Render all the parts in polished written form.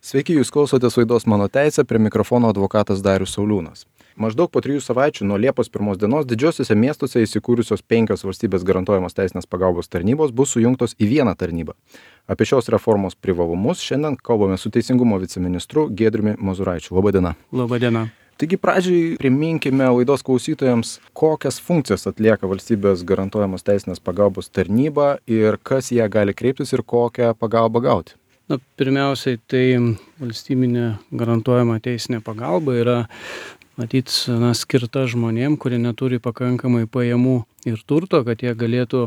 Sveiki, jūs klausotės laidos Mano teisė, prie mikrofono advokatas Darius Sauliūnas. Maždaug po 3 savaičių nuo Liepos 1 dienos didžiosiuose miestuose įsikūrusios 5 valstybės garantuojamos teisinės pagalbos tarnybos bus sujungtos į vieną tarnybą. Apie šios reformos privalumus šiandien kalbame su Teisingumo viceministru Giedriumi Mozuraičiu. Labadiena. Labadiena. Taigi pradžiai priminkime laidos klausytojams, kokias funkcijas atlieka valstybės garantuojamos teisinės pagalbos tarnyba ir kas ją gali kreiptis ir kokią pagalbą gauti. Pirmiausiai, tai valstybinė garantuojama teisinė pagalba yra skirta žmonėm, kurie neturi pakankamai pajamų ir turto, kad jie galėtų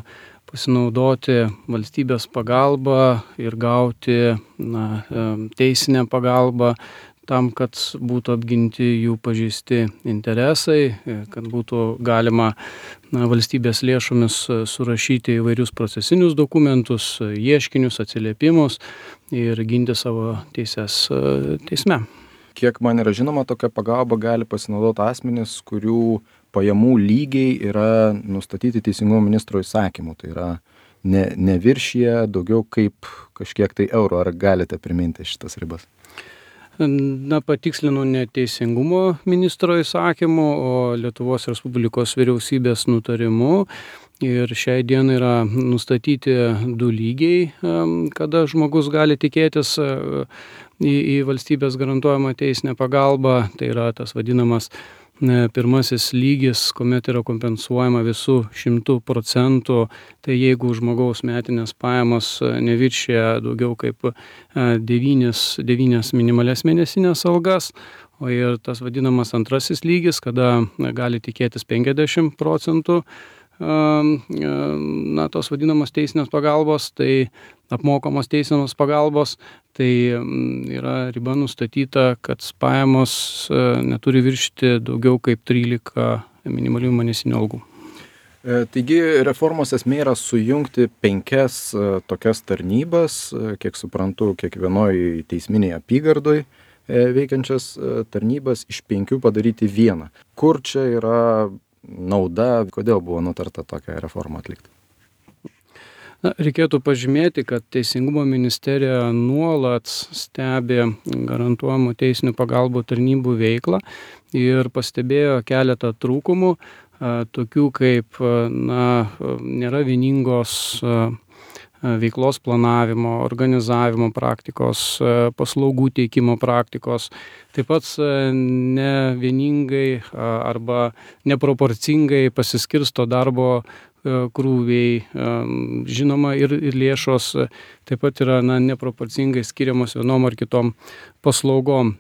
pasinaudoti valstybės pagalbą ir gauti teisinę pagalbą tam, kad būtų apginti jų pažeisti interesai, kad būtų galima valstybės lėšomis surašyti įvairius procesinius dokumentus, ieškinius, atsiliepimus ir ginti savo teises teisme. Kiek man yra žinoma, tokia pagalba gali pasinaudoti asmenys, kurių pajamų lygiai yra nustatyti Teisingumo ministro įsakymu. Tai yra neviršyje daugiau kaip kažkiek tai eurų. Ar galite priminti šitas ribas? Patikslinu ne Teisingumo ministro įsakymu, o Lietuvos Respublikos vyriausybės nutarimu. Ir šiai dienai yra nustatyti 2 lygiai, kada žmogus gali tikėtis į valstybės garantuojamą teisinę pagalbą. Tai yra tas vadinamas pirmasis lygis, kuomet yra kompensuojama visų 100%. Tai jeigu žmogaus metinės pajamos neviršija daugiau kaip 9 minimalias mėnesinės algas, o ir tas vadinamas antrasis lygis, kada gali tikėtis 50% tos vadinamos teisinės pagalbos, tai apmokamos teisinės pagalbos, tai yra riba nustatyta, kad pajamos neturi viršyti daugiau kaip 13 minimalių mėnesinių algų. Taigi reformos esmė yra sujungti 5 tokias tarnybas, kiek suprantu, kiekvienoj teisminėje apygardoj veikiančias tarnybas iš 5 padaryti vieną. Kur čia yra nauda, kodėl buvo nutarta tokią reformą atlikti? Reikėtų pažymėti, kad Teisingumo ministerija nuolat stebi garantuojamų teisinių pagalbų tarnybų veiklą ir pastebėjo keletą trūkumų, tokių kaip nėra vieningos veiklos planavimo, organizavimo praktikos, paslaugų teikimo praktikos, taip pat ne vieningai arba neproporcingai pasiskirsto darbo krūviai, žinoma, ir lėšos taip pat yra neproporcingai skiriamos vienom ar kitom paslaugom.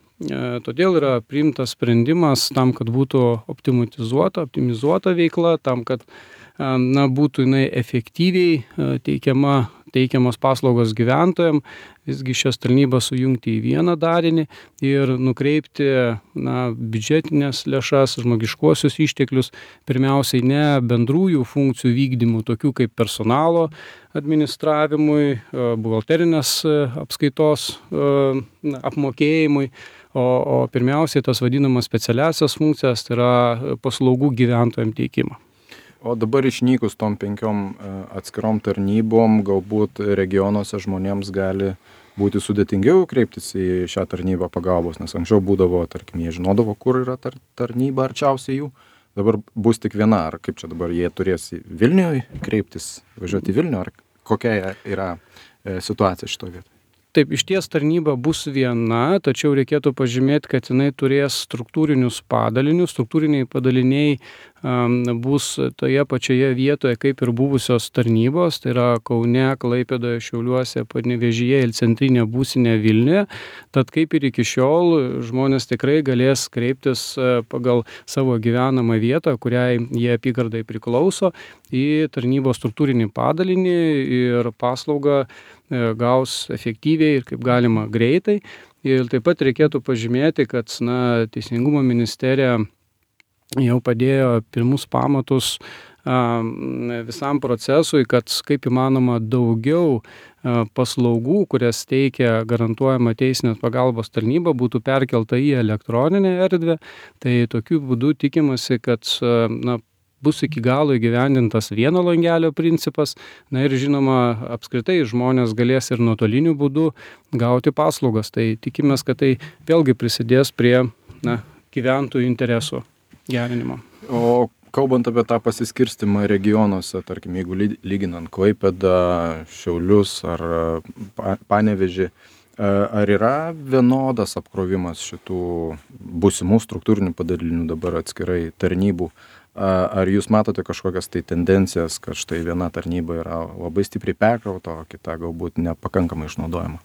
Todėl yra priimtas sprendimas tam, kad būtų optimizuota veikla, tam, kad būtų jinai efektyviai teikiamos paslaugos gyventojams, visgi šias tarnybas sujungti į vieną darinį ir nukreipti biudžetinės lėšas, žmogiškuosius išteklius, pirmiausiai ne bendrųjų funkcijų vykdymų, tokių kaip personalo administravimui, buhalterinės apskaitos apmokėjimui, o pirmiausiai tas vadinamas specialiasias funkcijas, tai yra paslaugų gyventojams teikimą. O dabar išnykus tom 5 atskirom tarnybom, galbūt regionuose žmonėms gali būti sudėtingiau kreiptis į šią tarnybą pagalbos, nes anksčiau būdavo, tarkim, jie žinodavo, kur yra tarnyba arčiausiai jų. Dabar bus tik viena, ar kaip čia dabar jie turės į Vilnių kreiptis, važiuoti į Vilnių, ar kokia yra situacija šitoje vietoje? Taip, išties tarnyba bus viena, tačiau reikėtų pažymėti, kad jinai turės struktūrinius padalinius. Struktūriniai padaliniai bus toje pačioje vietoje kaip ir buvusios tarnybos, tai yra Kaune, Klaipėdoje, Šiauliuose, Panevėžyje ir centrinė būstinė Vilniuje. Tad kaip ir iki šiol žmonės tikrai galės kreiptis pagal savo gyvenamą vietą, kuriai jie apygardai priklauso, į tarnybos struktūrinį padalinį ir paslaugą gaus efektyviai ir kaip galima greitai. Ir taip pat reikėtų pažymėti, kad Teisingumo ministerija jau padėjo pirmus pamatus visam procesui, kad kaip įmanoma daugiau paslaugų, kurias teikia garantuojama teisinės pagalbos tarnyba, būtų perkelta į elektroninę erdvę. Tai tokiu būdu tikimasi, kad bus iki galo įgyvendintas vieno langelio principas, na ir žinoma, apskritai žmonės galės ir nuotoliniu būdu gauti paslaugas. Tai tikimės, kad tai vėlgi prisidės prie gyventojų interesų gerinimo. O kalbant apie tą pasiskirstimą regionuose, tarkim, jeigu lyginant Klaipėdą, Šiaulius ar Panevėžį, ar yra vienodas apkrovimas šitų būsimų struktūrinių padalinių dabar atskirai tarnybų? Ar jūs matote kažkokias tai tendencijas, kad štai viena tarnyba yra labai stipriai perkrauta, o kita galbūt nepakankamai išnaudojama?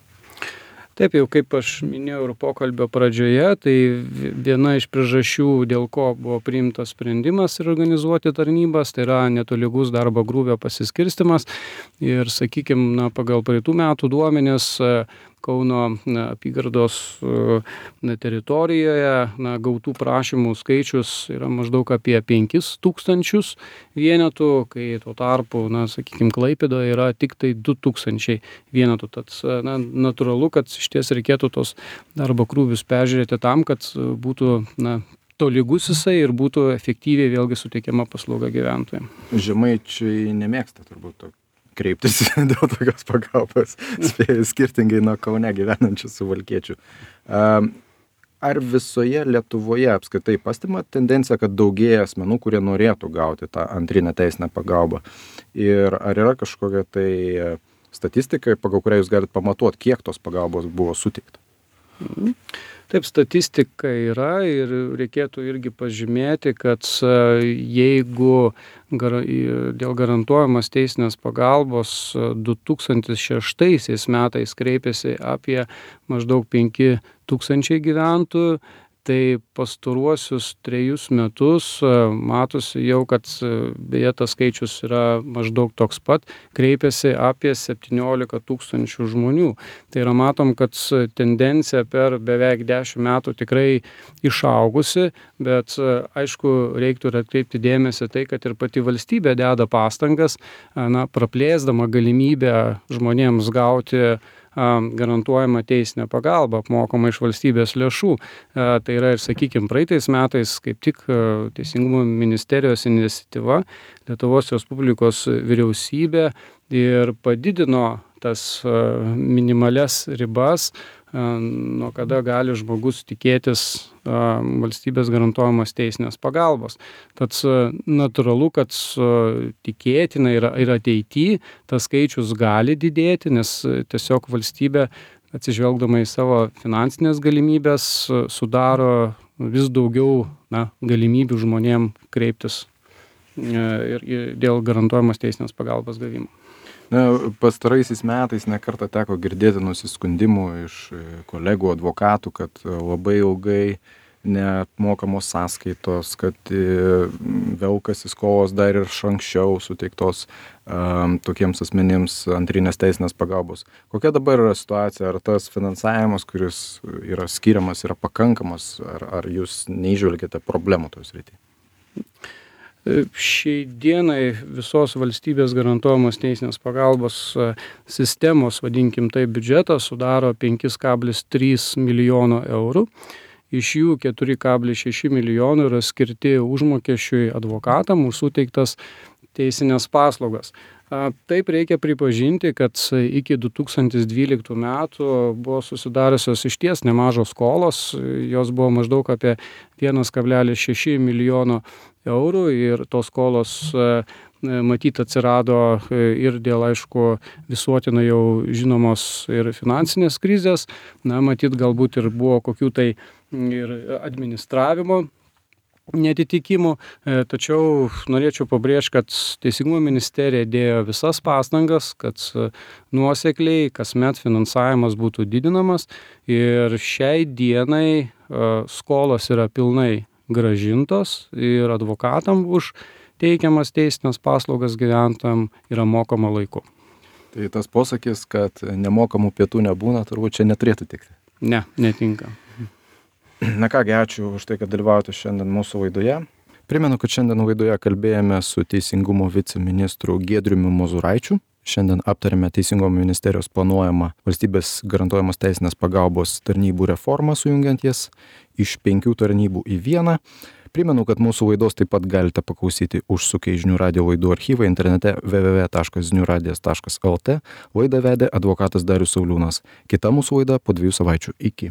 Taip, jau kaip aš minėjau ir pokalbio pradžioje, tai viena iš priežasčių, dėl ko buvo priimtas sprendimas ir organizuoti tarnybas, tai yra netolygus darbo krūvio pasiskirstimas. Ir, sakykime, pagal praeitų metų duomenis Kauno apygardos teritorijoje gautų prašymų skaičius yra maždaug apie 5000 vienetų, kai tuo tarpu, sakykime, Klaipėdoje yra tik tai 2000 vienetų. Tad natūralu, kad iš ties reikėtų tos darbo krūvius peržiūrėti tam, kad būtų tolygus jisai ir būtų efektyviai vėlgi suteikiama paslauga gyventojams. Žemaičiai nemėgsta turbūt kreiptis dėl tokios pagalbos, skirtingai nuo Kaune gyvenančių suvalkiečių. Ar visoje Lietuvoje apskritai pastebima tendencija, kad daugėja asmenų, kurie norėtų gauti tą antrinę teisinę pagalbą? Ir ar yra kažkokia tai statistika, pagal kurią jūs galite pamatuoti, kiek tos pagalbos buvo suteikta? Taip, statistika yra ir reikėtų irgi pažymėti, kad jeigu dėl garantuojamos teisinės pagalbos 2006 metais kreipėsi apie maždaug 5000 gyventojų, tai pastaruosius 3 metus matosi jau, kad beje tas skaičius yra maždaug toks pat, kreipėsi apie 17 000 žmonių. Tai yra matom, kad tendencija per beveik 10 metų tikrai išaugusi, bet aišku, reiktų ir atkreipti dėmesį tai, kad ir pati valstybė deda pastangas, praplėsdama galimybę žmonėms gauti garantuojama teisinė pagalba apmokama iš valstybės lėšų. Tai yra ir, sakykime, praeitais metais kaip tik Teisingumo ministerijos iniciatyva Lietuvos Respublikos vyriausybė ir padidino tas minimalias ribas, nuo kada gali žmogus tikėtis valstybės garantuojamos teisinės pagalbos. Tad natūralu, kad tikėtina ir ateityje tas skaičius gali didėti, nes tiesiog valstybė, atsižvelgdama į savo finansinės galimybės, sudaro vis daugiau galimybių žmonėm kreiptis ir dėl garantuojamos teisinės pagalbos gavimo. Pastaraisiais metais nekartą teko girdėti nusiskundimų iš kolegų advokatų, kad labai ilgai neapmokamos sąskaitos, kad velkasi skolos dar ir anksčiau suteiktos tokiems asmenims antrinės teisinės pagalbos. Kokia dabar yra situacija? Ar tas finansavimas, kuris yra skiriamas, yra pakankamas? Ar jūs neįžvelgiate problemų toje srityje? Šiai dienai visos valstybės garantuojamos teisinės pagalbos sistemos, vadinkim tai, biudžetas sudaro 5,3 milijono eurų. Iš jų 4,6 milijonų yra skirti užmokesčiui advokatam už suteiktas teisinės paslaugas. Taip reikia pripažinti, kad iki 2012 metų buvo susidariusios išties nemažos skolos, jos buvo maždaug apie 1,6 milijono eurų ir tos skolos matyt atsirado ir dėl, aišku, visuotinai jau žinomos ir finansinės krizės, matyt galbūt ir buvo kokių tai ir administravimo netitikimų, tačiau norėčiau pabrėžti, kad Teisingumo ministerija dėjo visas pastangas, kad nuosekliai kasmet finansavimas būtų didinamas ir šiai dienai skolos yra pilnai grąžintos ir advokatam už teikiamas teisinės paslaugas gyventojam yra mokama laiku. Tai tas posakis, kad nemokamų pietų nebūna, turbūt čia neturėtų tikti. Ne, netinka. Na kągi, ačiū už tai, kad dalyvaujate šiandien mūsų laidoje. Primenu, kad šiandien laidoje kalbėjome su Teisingumo viceministru Giedriumi Mozuraičiu. Šiandien aptarėme Teisingumo ministerijos planuojamą valstybės garantuojamos teisinės pagalbos tarnybų reformą, sujungiant jas iš 5 tarnybų į vieną. Primenu, kad mūsų laidos taip pat galite paklausyti užsukę į Žinių radijo laidų archyvą internete www.žiniuradijas.lt. Laidą vedė advokatas Darius Sauliūnas. Kita mūsų laida po 2 savaičių. Iki.